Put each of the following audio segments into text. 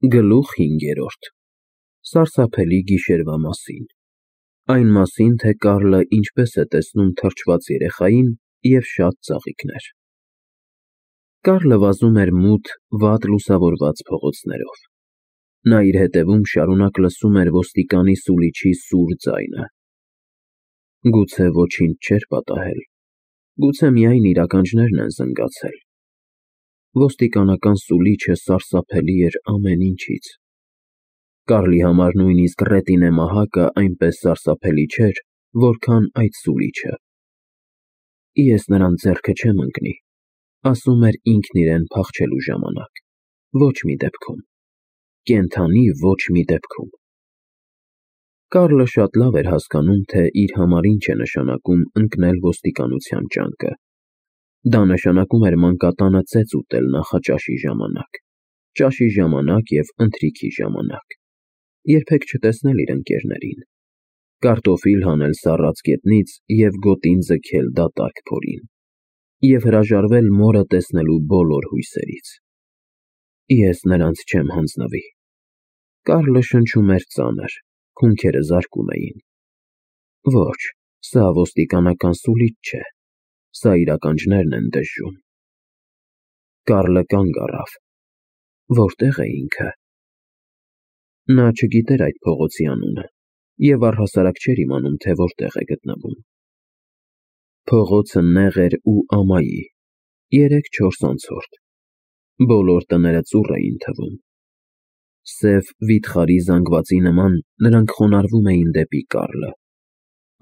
Գլուխ 5. Սարսափելի գիշերվա մասին։ Այն մասին, թե Կարլը ինչպես է տեսնում թրջված երեխային և շատ ծաղիկներ։ Կարլը վազում էր մութ, վատ լուսավորված փողոցներով։ Նա իր հետևում շարունակ լսում էր ոստիկանի սուլիչի սուր ձայնը։ Գուցե ոչինչ չէր պատահել, գուցե միայն իր ականջներն են զնգացել։ Ոստիկանական սուլիչը սարսափելի էր ամեն ինչից։ Կարլի համար նույնիսկ Ռետինե մահակը այնպես սարսափելի չէր, որքան այդ սուլիչը։ Ես նրան ձեռքը չեմ ընկնի, ասում էր ինքն իրեն փախչելու ժամանակ, ոչ մի դեպքում, կենդանի ոչ մի դեպքում։ Կարլը շատ լավ էր հասկանում, թե իր համար ինչ է նշանակում ընկնել ոստիկանության ճանկը։ Դա նշանակում էր մանկատանը ծեծ ուտել նախաճաշի ժամանակ, ճաշի ժամանակ և ընթրիքի ժամանակ, երբեք չտեսնել իր ընկերներին, կարտոֆիլ հանել սառած գետնից և գոտին ձգել դատարկ փորին, և հրաժարվել մորը տեսնելու բոլոր հույսերից։ Ես նրանց չեմ հանձնվի։ Կարլը շնչում էր ծանր, հունքերը զարկում էին։ Ոչ, սա ոստիկանական սուլիչ չէ, սա իր ականջներն են դժժում։ Կարլը կանգ առավ։ Որտե՞ղ է ինքը։ Նա չգիտեր այդ փողոցի անունը և առհասարակ չէր իմանում, թե որտեղ է գտնվում։ Փողոցը նեղ էր ու ամայի, 3-4 անցորդ։ Բոլոր տները ծուռ էին թվում։ Սև վիթխարի զանգվածի նման նրանք խոնարհվում էին դեպի Կարլը,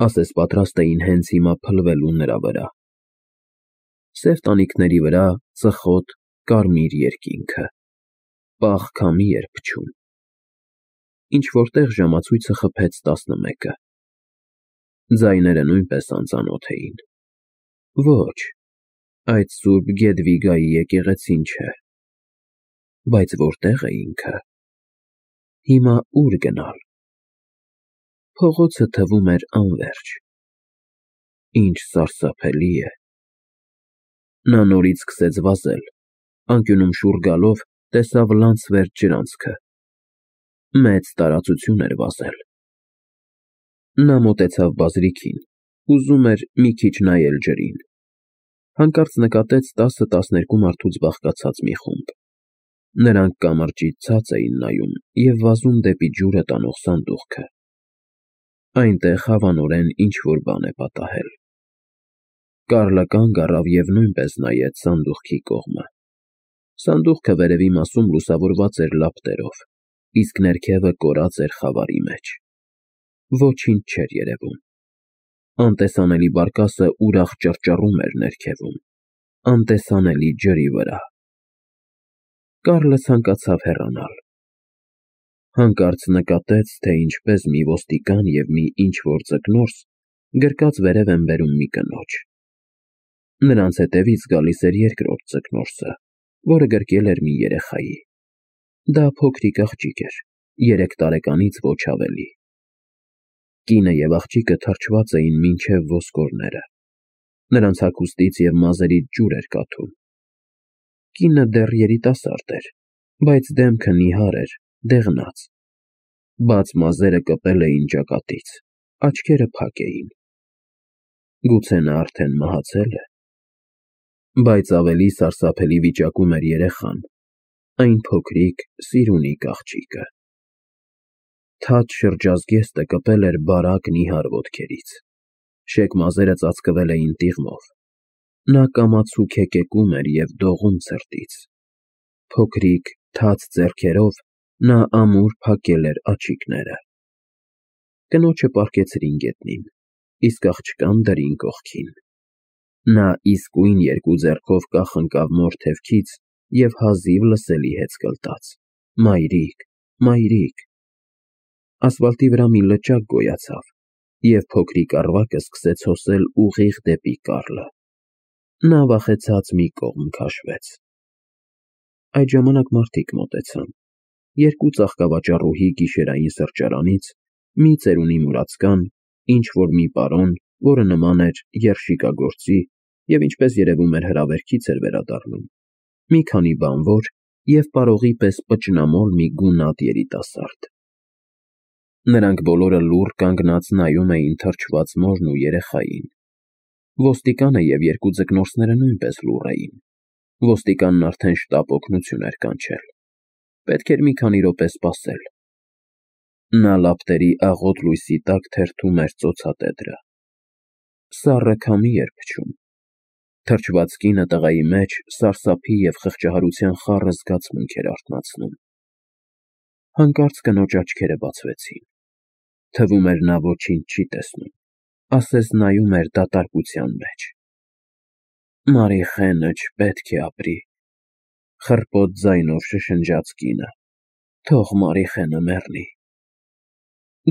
ասես պատրաստ էին հենց հիմա փլվելու նրա վրա։ Սև տանիքների վրա ծխոտ, կարմիր երկինքը, պաղ քամի էր փչում։ Ինչ-որ տեղ ժամացույցը խփեց 11-ը։ Ձայները նույնպես անծանոթ էին։ Ոչ, այդ Սուրբ Գեդվիգայի եկեղեցին չէ։ Բայց որտե՞ղ է ինքը։ Հիմա ո՞ւր գնալ։ Փողոցը թվում էր անվերջ։ Ինչ սարսափելի է։ Նա նորից սկսեց վազել, անկյունում շուռ գալով տեսավ լանցվերջ ջրանցքը։ Մեծ տարածություն էր վազել։ Նա մոտեցավ բազրիքին, ուզում էր մի քիչ նայել ջրին։ Հանկարծ նկատեց 10-12 մարդուց բաղկացած մի խումբ։ Նրանք կամրջից ցած էին նայում և վազում դեպի ջուրը տանող սանդուղքը։ Այնտեղ հավանորեն ինչ-որ բան է պատահել։ Կարլը կանգ առավ և նույնպես նայեց սանդուղքի կողմը։ Սանդուղքը վերևի մասում լուսավորված էր լապտերով, իսկ ներքևը կորած էր խավարի մեջ։ Ոչինչ չէր երևում։ Անտեսանելի բարկասը ուրախ ճռճռում էր ներքևում, անտեսանելի ջրի վրա։ Կարլը ցանկացավ հեռանալ։ Հանկարծ նկատեց, թե ինչպես մի ոստիկան և մի ինչ-որ ձկնորս գրկած վերև են բերում մի կնոջ։ Նրանց հետևից գալիս էր երկրորդ ձկնորսը, որը գրկել էր մի երեխայի։ Դա փոքրիկ աղջիկ էր, 3 տարեկանից ոչ ավելի։ Կինը և աղջիկը թրջված էին մինչև ոսկորները։ Նրանց հագուստից և մազերից ջուր էր կաթում։ Կինը դեռ երիտասարդ էր, բայց դեմքը նիհար էր, դեղնած։ Բաց մազերը կպել էին ճակատից, աչքերը փակ էին։ Գուցե նա արդեն մահացել է։ Բայց ավելի սարսափելի վիճակում էր երեխան, այն փոքրիկ, սիրունիկ աղջիկը։ Թաց շրջազգեստը կպել էր բարակ նիհար ոտքերից։ Շեկ մազերը ծածկվել էին տիղմով։ Նա կամացուկ հեկեկում էր և դողում ցրտից։ Փոքրիկ, թաց ձեռքերով նա ամուր փակել էր աջիկները։ Կնոջը պառկեցրին գետնին, իսկ աղջկան դրին կողքին։ Նա իսկույն 2 ձեռքով կախ ընկավ մոր թևքից և հազիվ լսելի հեծկլտաց. «Մայրիկ, մայրիկ»։ Ասֆալտի վրա մի լճակ գոյացավ, և փոքրիկ առվակը սկսեց հոսել ուղիղ դեպի Կարլը։ Նա վախեցած մի կողմ քաշվեց։ Այդ ժամանակ մարդիկ մոտեցան։ 2 ծաղկավաճառուհի գիշերային սրճարանից, մի ծերունի մուրացկան, ինչ-որ մի պարոն, որը նման էր երշիկագործի և ինչպես երևում էր հրավերքից էր վերադառնում, մի քանի բանվոր և պարողի պես պճնամոլ մի գունատ երիտասարդ։ Նրանք բոլորը լուռ կանգնած նայում էին թրջված մորն ու երեխային։ Ոստիկանը և երկու ձկնորսները նույնպես լուռ էին։ Ոստիկանն արդեն շտապ օգնություն էր կանչել։ Պետք էր մի քանի րոպե սպասել։ Նա լապտերի աղոտ լույսի տակ թերթում էր ծոցատետրը։ Սառը քամի էր փչում։ Թրջված կինը տղայի մեջ սարսափի և խղճահարության խառը զգացմունք էր արթնացնում։ Հանկարծ կնոջ աչքերը բացվեցին։ Թվում էր նա ոչինչ չի տեսնում, ասես նայում էր դատարկության մեջ։ Մարիխենը չպետք է ապրի, խռպոտ ձայնով շշնջաց կինը, թող Մարիխենը մեռնի։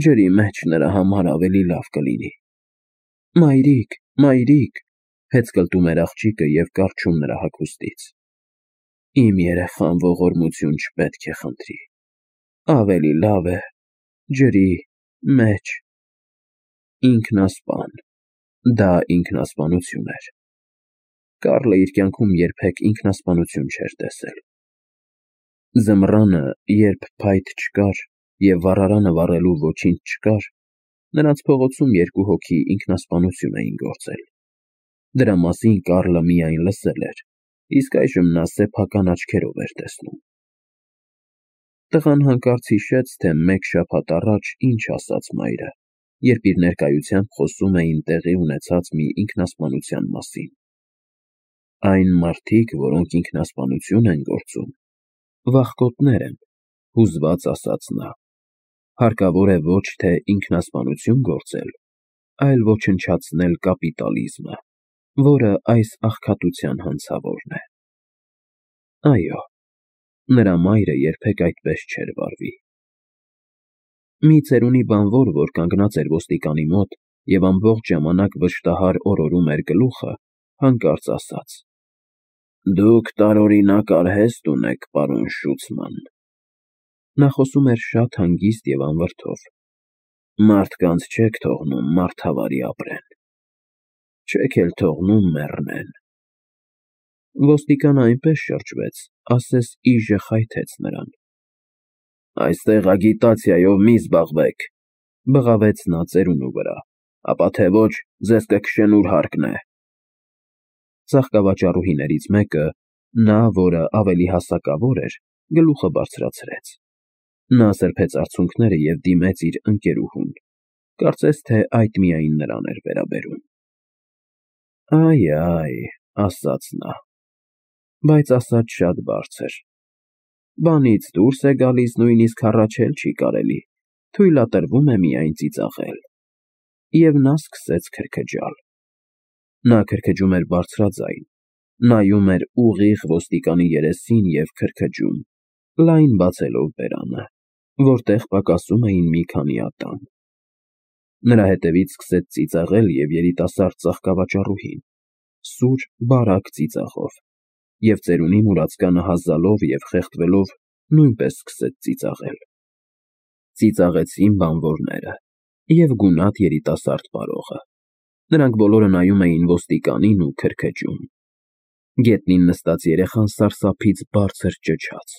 Ջրի մեջ նրա համար ավելի լավ կլինի։ Մայրիկ, մայրիկ, հեծկլտում էր աղջիկը և կառչում նրա հագուստից։ Իմ երեխան ողորմություն չպետք է խնդրի, ավելի լավ է ջրի մեջ։ Ինքնասպան, դա ինքնասպանություն էր։ Կարլը իր կյանքում երբեք ինքնասպանություն չէր տեսել։ Ձմռանը, երբ փայտ չկար և վառարանը վառելու ոչինչ չկար, նրանց փողոցում երկու հոգի ինքնասպանություն էին գործել։ Դրա մասին Կարլը միայն լսել էր, իսկ այժմ նա սեփական աչքերով էր տեսնում։ Տղան հանկարծ հիշեց, թե մեկ շաբաթ առաջ ինչ ասաց մայրը, երբ իր ներկայությամբ խոսում էին տեղի ունեցած մի ինքնասպանության մասին։ Այն մարդիկ, որոնք ինքնասպանություն են գործում, վախկոտներ են, հուզված ասաց նա։ Հարկավոր է ոչ թե ինքնասպանություն գործել, այլ ոչնչացնել կապիտալիզմը, որը այս աղքատության հանցավորն է։ Այո, նրա մայրը երբեք այդպես չէր վարվի։ Մի ծերունի բանվոր, որ կանգնած էր ոստիկանի մոտ և ամբողջ ժամանակ վշտահար օրորում էր գլուխը, հանկարծ ասաց. Դուք տարօրինակ արհեստ ունեք, պարոն Շուցման։ Նա խոսում էր շատ հանգիստ և անվրդով։ Մարդկանց չեք թողնում մարդավարի ապրեն, չեք էլ թողնում մեռնեն։ Ոստիկանը այնպես շրջվեց, ասես իժը խայթեց նրան։ Այստեղ ագիտացիայով մի զբաղվեք, բղավեց նա ծերունու վրա, ապա թե ոչ ձեզ կքշեն ուր հարկն է։ Ծաղկավաճառուհիներից մեկը, նա, որը ավելի հասակավոր էր, գլուխը բարձրացրեց։ Նա սրբեց արցունքները և դիմեց իր ընկերուհուն, կարծես թե այդ միայն նրան էր վերաբերում։ Այ, ասաց նա, բայց ասած շատ բարձր։ Բանից դուրս է գալիս, նույնիսկ հառաչել չի կարելի, թույլատրվում է միայն ծիծաղել։ Եվ նա սկսեց քրքջալ։ Նա քրքջում էր բարձրաձայն, նայում էր ուղիղ ոստիկանի երեսին և քրքջում, լայն բացելով բերանը, որտեղ պակասում էին մի քանի ատամ։ Նրա հետևից սկսեց ծիծաղել և երիտասարդ ծաղկավաճառուհին, սուր, բարակ ծիծաղով, և ծերունի մուրացկանը հազալով և խեղդվելով նույնպես սկսեց ծիծաղել։ Ծիծաղեցին բանվորները և գունատ երիտասարդ պարողը։ Նրանք բոլորը նայում էին ոստիկանին ու քրքջում։ Գետնին նստած երեխան սարսափից բարձր ճչաց։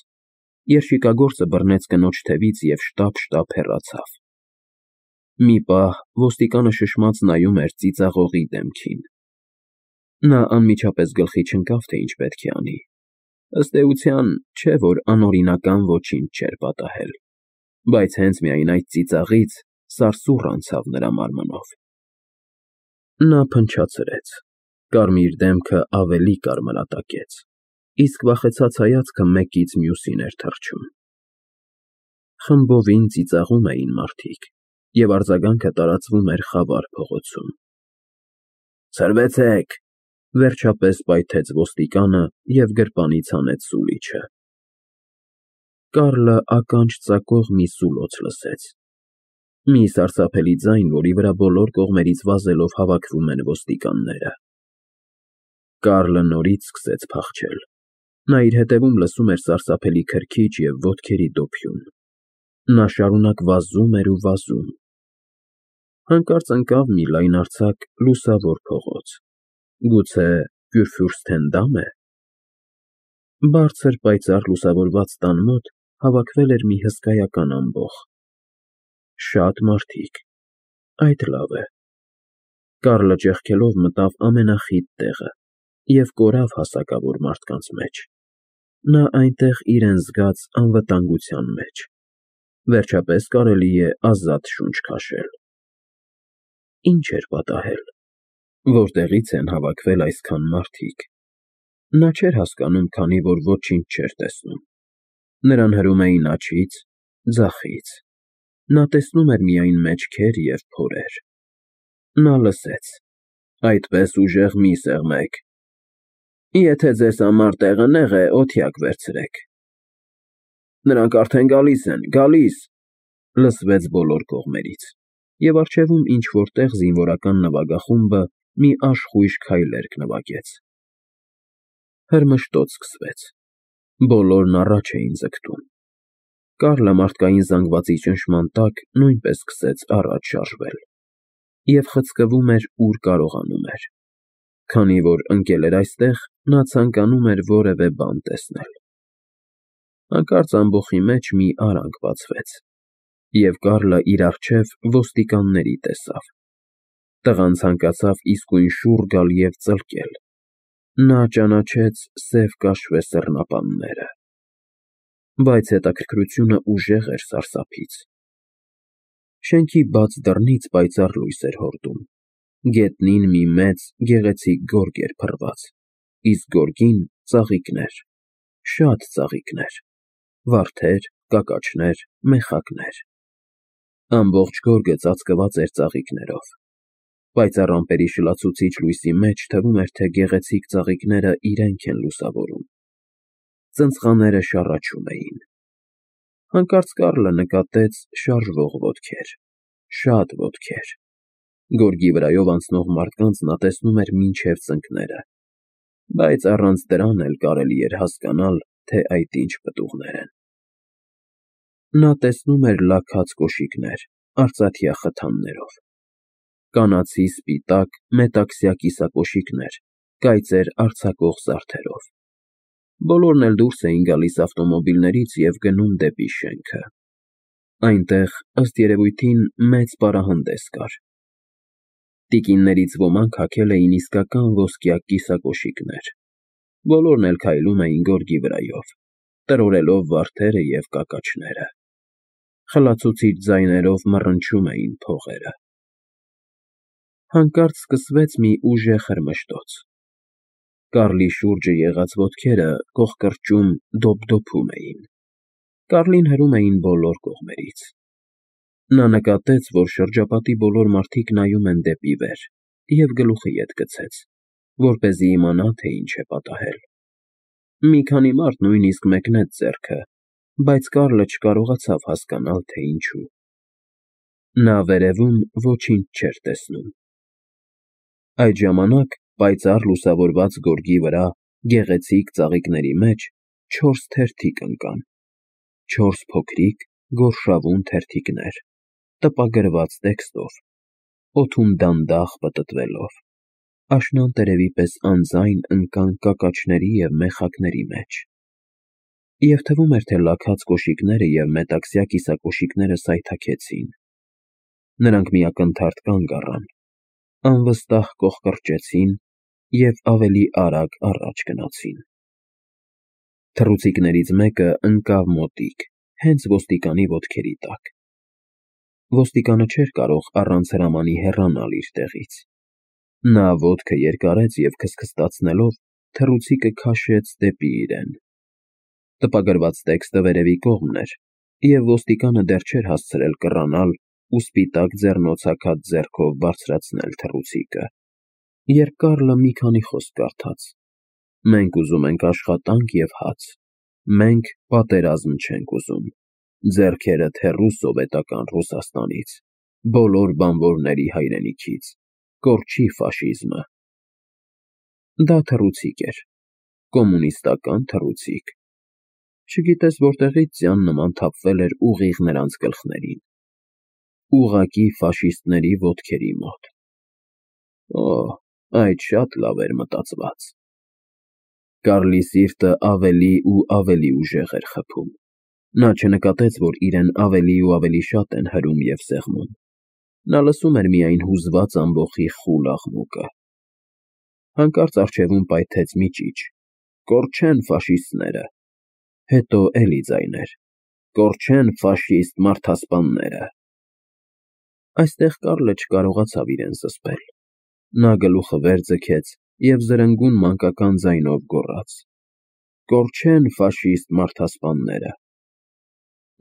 Երշիկագործը բռնեց կնոջ թևից և շտապ հեռացավ։ Մի պահ ոստիկանը շշմած նայում էր ծիծաղողի դեմքին։ Նա անմիջապես գլխի չընկավ, թե ինչ պետք է անի։ Ըստ էության, չէ որ անօրինական ոչինչ չէր պատահել, բայց հենց միայն այդ ծիծաղից սարսուռ անցավ նրա մարմնով։ Նա փնչացրեց, կարմիր դեմքը ավելի կարմրատակեց, իսկ վախեցած հայացքը մեկից մյուսին էր թռչում։ Խմբովին ծիծաղում էին մարդիկ, և արձագանքը տարածվում էր խավար փողոցում։ Ցրվեցեք, վերջապես պայթեց ոստիկանը և գրպանից հանեց սուլիչը։ Կարլը ականջ ծակող մի սուլոց լսեց։ Մի սարսափելի ձայն, որի վրա բոլոր կողմերից վազելով հավաքվում են ոստիկանները։ Կարլը նորից սկսեց փախչել։ Նա իր հետևում լսում էր սարսափելի քրքիջ և ոտքերի դոփյուն։ Նա շարունակ վազում էր ու վազում։ Հանկարծ ընկավ մի լայնարձակ, լուսավոր փողոց։ Գուցե Կյուրֆյուրսթենդամ է։ Բարձր պայծառ լուսավորված տան մոտ հավաքվել էր մի հսկայական ամբոխ։ Շատ մարդիկ, այդ լավ է։ Կարլը ճեղքելով մտավ ամենախիտ տեղը և կորավ հասակավոր մարդկանց մեջ։ Նա այնտեղ իրեն զգաց անվտանգության մեջ։ Վերջապես կարելի է ազատ շունչ քաշել։ Ինչ էր պատահել։ Որտեղի՞ց են հավաքվել այսքան մարդիկ։ Նա չէր հասկանում, քանի որ ոչինչ չէր տեսնում։ Նրան հրում էին աջից, ձախից։ Նա տեսնում էր միայն մեջքեր և փորեր։ Նա լսեց. «Այդպես ուժեղ մի սեղմեք։ Եթե ձեզ համար տեղը նեղ է, օթյակ վերցրեք»։ «Նրանք արդեն գալիս են, գալիս», լսվեց բոլոր կողմերից, և առջևում ինչ֊որ տեղ զինվորական նվագախումբը մի աշխույժ քայլերգ նվագեց։ Հրմշտոց սկսվեց։ Բոլորն առաջ էին ձգտում։ Կարլը մարդկային զանգվածի ճնշման տակ նույնպես սկսեց առաջ շարժվել և խցկվում էր, ուր կարողանում էր։ Քանի որ ընկել էր այստեղ, նա ցանկանում էր որևէ բան տեսնել։ Հանկարծ ամբոխի մեջ մի արանք բացվեց, և Կարլը իր առջև ոստիկանների տեսավ։ Տղան ցանկացավ իսկույն շուռ գալ և ծլկել։ Նա ճանաչեց սև կաշվե սեռնապանները։ Բայց հետաքրքրությունը ուժեղ էր սարսափից։ Շենքի բաց դռնից պայծառ լույս էր հորդում։ Գետնին մի մեծ, գեղեցիկ գորգ էր փռված, իսկ գորգին ծաղիկներ, շատ ծաղիկներ, վարդեր, կակաչներ, մեխակներ։ Ամբողջ գորգը ծածկված էր ծաղիկներով։ Պայծառ ամպերի շլացուցիչ լույսի մեջ թվում էր, թե գեղեցիկ ծաղիկները իրենք են լուսավորում։ Ծնծղաները շառաչում էին։ Հանկարծ Կարլը նկատեց շարժվող ոտքեր, շատ ոտքեր։ Գորգի վրայով անցնող մարդկանց նա տեսնում էր մինչև ծնկները, բայց առանց դրան էլ կարելի էր հասկանալ, թե այդ ինչ պտուղներ են։ Նա տեսնում էր լաքած կոշիկներ, արծաթյա խթաններով, կանացի սպիտակ, մետաքսյա կիսակոշիկներ, կայծեր արձակող զարդերով։ Բոլորն էլ դուրս էին գալիս ավտոմոբիլներից և գնում դեպի շենքը։ Այնտեղ, ըստ երևույթին, մեծ պարահանդես կար։ Տիկիններից ոմանք հագել էին իսկական ոսկյա կիսակոշիկներ։ Բոլորն էլ քայլում էին գորգի վրայով, տրորելով վարդերը և կակաչները։ Խլացուցիչ ձայներով մռնչում էին փողերը։ Հանկարծ սկսվեց մի ուժեղ հրմշտոց։ Կարլի շուրջը եղած ոտքերը կողկրճում, դոփդոփում էին։ Կարլին հրում էին բոլոր կողմերից։ Նա նկատեց, որ շրջապատի բոլոր մարդիկ նայում են դեպի վեր, և գլուխը ետ գցեց, որպեսզի իմանա, թե ինչ է պատահել։ Մի քանի մարդ նույնիսկ մեկնեց ձեռքը, բայց Կարլը չկարողացավ հասկանալ, թե ինչու։ Նա վերևում ոչինչ չէր տեսնում։ Այդ ժամանակ պայծառ լուսավորված գորգի վրա, գեղեցիկ ծաղիկների մեջ, 4 թերթիկ ընկան։ 4 փոքրիկ, գորշավուն թերթիկներ, տպագրված տեքստով, օդում դանդաղ պտտվելով, աշնան տերևի պես անձայն ընկան կակաչների և մեխակների մեջ։ Եվ թվում էր, թե լաքած կոշիկները և մետաքսյա կիսակոշիկները սայթաքեցին։ Նրանք մի ակնթարթ կանգ առան, անվստահ կողկրճեցին և ավելի արագ առաջ գնացին։ Թռուցիկներից մեկը ընկավ մոտիկ, հենց ոստիկանի ոտքերի տակ։ Ոստիկանը չէր կարող առանց հրամանի հեռանալ իր տեղից։ Նա ոտքը երկարեց և քստքստացնելով թռուցիկը քաշեց դեպի իրեն։ Տպագրված տեքստը վերևի կողմն էր, և ոստիկանը դեռ չէր հասցրել կռանալ ու սպիտակ ձեռնոցաքած ձեռքով բարձրացնել թռուցիկը, երբ Կարլը մի քանի խոսք կարդաց. «Մենք ուզում ենք աշխատանք և հաց, մենք պատերազմ չենք ուզում, ձեռքերդ հեռու սովետական Ռուսաստանից, բոլոր բանվորների հայրենիքից, կորչի ֆաշիզմը»։ Դա թռուցիկ էր, կոմունիստական թռուցիկ։ Չգիտես որտեղից ձյան նման թափվել էր ուղիղ նրանց գլխներին։ Ուղղակի ֆաշիստների ոտքերի մոտ։ Օ, այդ շատ լավ էր մտածված։ Կարլի սիրտը ավելի ու ավելի ուժեղ էր խփում։ Նա չնկատեց, որ իրեն ավելի ու ավելի շատ են հրում և սեղմում։ Նա լսում էր միայն հուզված ամբոխի խուլ աղմուկը։ Հանկարծ առջևում պայթեց մի ճիչ. «Կորչեն ֆաշիստները»։ Հետո էլի ձայներ. «Կորչեն ֆաշիստ մարդասպանները»։ Այստեղ Կարլը չկարողացավ իրեն զսպել։ Նա գլուխը վեր ձգեց և զրնգուն մանկական ձայնով գոռաց. «Կորչեն ֆաշիստ մարդասպանները»։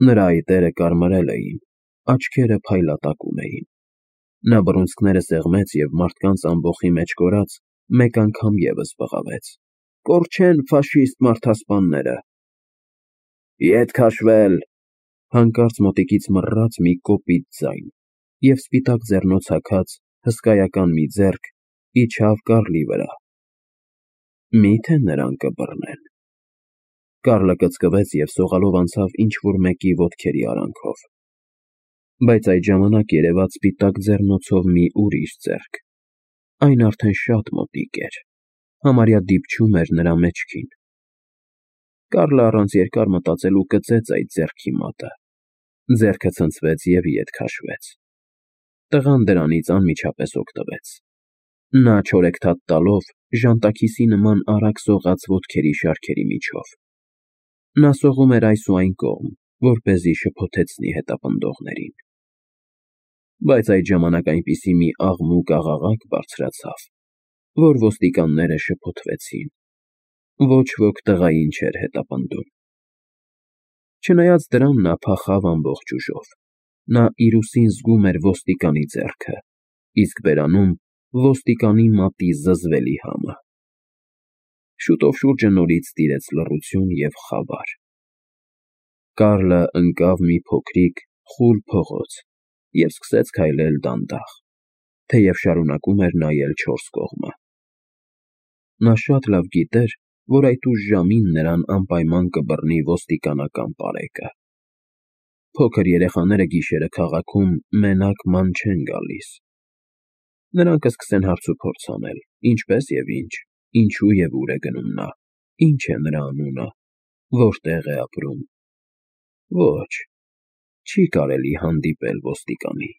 Նրա այտերը կարմրել էին, աչքերը փայլատակում էին։ Նա բռունցքները սեղմեց և մարդկանց ամբոխի մեջ կորած մեկ անգամ ևս բղավեց. «Կորչեն ֆաշիստ մարդասպանները»։ «Ետ քաշվել», հանկարծ մոտիկից մռռաց մի կոպիտ ձայն, և սպիտակ ձեռնոց հագած հսկայական մի ձեռք իջավ Կարլի վրա։ Մի՞թե նրան կբռնեն։ Կարլը կծկվեց և սողալով անցավ ինչ֊որ մեկի ոտքերի արանքով։ Բայց այդ ժամանակ երևաց սպիտակ ձեռնոցով մի ուրիշ ձեռք։ Այն արդեն շատ մոտիկ էր, համարյա դիպչում էր նրա մեջքին։ Կարլը առանց երկար մտածելու կծեց այդ ձեռքի մատը։ Ձեռքը ցնցվեց և ետ քաշվեց։ Տղան դրանից անմիջապես օգտվեց։ Նա չորեքթաթ տալով ժանտաքիսի նման արագ սողաց ոտքերի շարքերի միջով։ Նա սողում էր այս ու այն կողմ, որպեսզի շփոթեցնի հետապնդողներին։ Բայց այդ ժամանակ այնպիսի մի աղմուկ-աղաղակ բարձրացավ, որ ոստիկանները շփոթվեցին։ Ոչ ոք տղային չէր հետապնդում։ Չնայած դրան նա փախավ ամբողջ ուժով։ Նա իր ուսին զգում էր ոստիկանի ձեռքը, իսկ բերանում ոստիկանի մատի զզվելի համը։ Շուտով շուրջը նորից տիրեց լռություն և խավար։ Կարլը ընկավ մի փոքրիկ, խուլ փողոց և սկսեց քայլել դանդաղ, թեև շարունակում էր նայել չորս կողմը։ Նա շատ լավ գիտեր, որ այդ ուշ ժամին նրան անպայման կբռնի ոստիկանական պարեկը։ Փոքր երեխաները գիշերը քաղաքում մենակ ման չեն գալիս։ Նրանք կսկսեն հարցուփորձ անել. ինչպես և ինչ, ինչու և ուր է գնում նա, ինչ է նրա անունը, որտեղ է ապրում։ Ոչ, չի կարելի հանդիպել ոստիկանի։